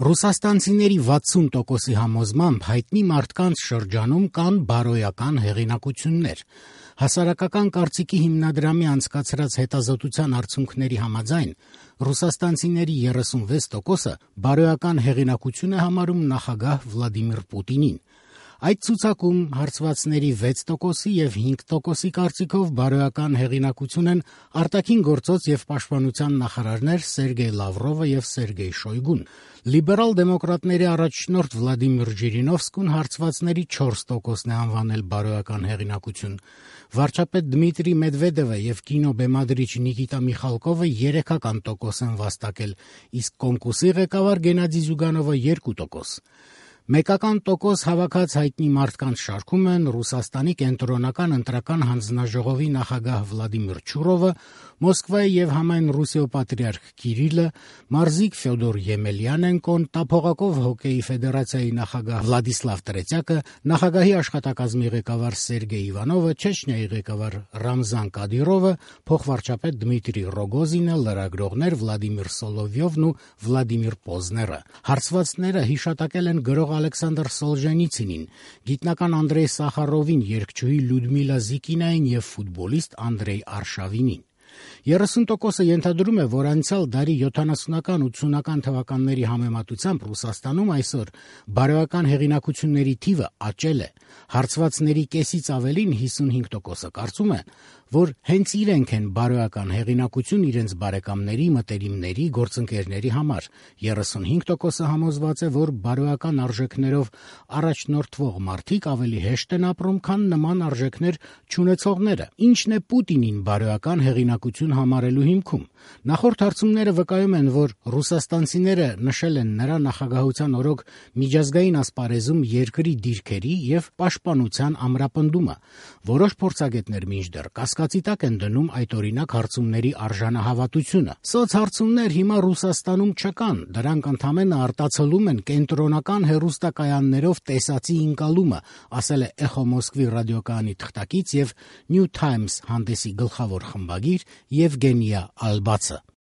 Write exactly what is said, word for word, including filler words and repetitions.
Ռուսաստանցիների վաթսուն տոկոսի համոզմամբ հայտնի մարդկանց շրջանում կան բարոյական հեղինակություններ։ Հասարակական կարծիքի հիմնադրամի անցկացրած հետազոտության արդյունքների համաձայն ռուսաստանցիների երեսունվեց տոկոսը բարոյական հեղինակություն է համարում նախագահ Վլադիմիր Պուտինին։ Այդ ցուցակում հարցվածների վեց տոկոսի եւ հինգ տոկոսի կարծիքով բարոյական հեղինակություն են արտաքին գործոց եւ պաշտպանության նախարարներ Սերգեյ Լավրովը եւ Սերգեյ Շոյգուն։ Լիբերալ դեմոկրատների առաջնորդ Վլադիմիր Ժիրինովսկուն հարցվածների չորս տոկոսն է անվանել բարոյական հեղինակություն։ Վարչապետ Դմիտրի Մեդվեդևը եւ կինոբեմադրիչ Նիկիտա Միխալկովը երեքական տոկոս են վաստակել, իսկ կոմկուսի ղեկավար Գենադի Զյուգանովը երկու տոկոս։ Մեկական տոկոս հավաքած հայտնի մարդկանց շարքում են Ռուսաստանի կենտրոնական ընտրական հանձնաժողովի նախագահ Վլադիմիր Չուրովը, Մոսկվայի եւ համայն Ռուսիո պատրիարք Կիրիլը, մարզիկ Ֆյոդոր Եմելյանենկոն, տափողակով հոկեյի ֆեդերացիայի նախագահ Վլադիսլավ Տրետյակը, նախագահի աշխատակազմի ղեկավար Սերգեյ Իվանովը, Չեչնիայի ղեկավար Ռամզան Կադիրովը, փոխվարչապետ Դմիտրի Ռոգոզինը, լրագրողներ Վլադիմիր Սոլովյովն ու Վլադիմիր Պոզները։ Հարցվածները հիշատակել են գրող Ալեքսանդր Սոլժենիցինին, գիտնական Անդրեյ Սախարովին, երգչուհի Լյուդմիլա Զիկինային եւ ֆուտբոլիստ Անդրեյ Արշավինին։ երեսուն տոկոսը ենթադրում է, որ անցյալ դարի յոթանասունական ութսունական թվականների համեմատությամբ Ռուսաստանում այսօր բարոյական հեղինակությունների թիվը աճել է։ Հարցվածների կեսից ավելին հիսունհինգ տոկոսը կարծում է, որ հենց իրենք են բարոյական հեղինակություն իրենց բարեկամների, մտերիմների, գործընկերների համար։ երեսունհինգ տոկոսը համոզված է, որ բարոյական արժեքներով առաջնորդվող մարդիկ ավելի հեշտ են ապրում, քան նման արժեքներ չունեցողները։ Ինչն է Պուտինին բարոյական հեղինակություն համարելու հիմքում։ Նախորդ հարցումները վկայում են, որ ռուսաստանցիները նշել են նրա նախագահության օրոք միջազգային ասպարեզում երկրի դիրքերի եւ պաշտպանության ամրապնդումը։ Որոշ փորձագետներ մինչդեռ կասկածի տակ են դնում այդ օրինակ հարցումների արժանահավատությունը։ Սոցհարցումներ հիմա Ռուսաստանում չկան, դրանք ընդամենը արտացոլում են կենտրոնական հեռուստակայաններով տեսածի ընկալումը, ասել է Էխո Մոսկվի ռադիոկայանի թղթակից եւ New Times հանդեսի գլխավոր խմբագիր Եվգենիա Ալբացը։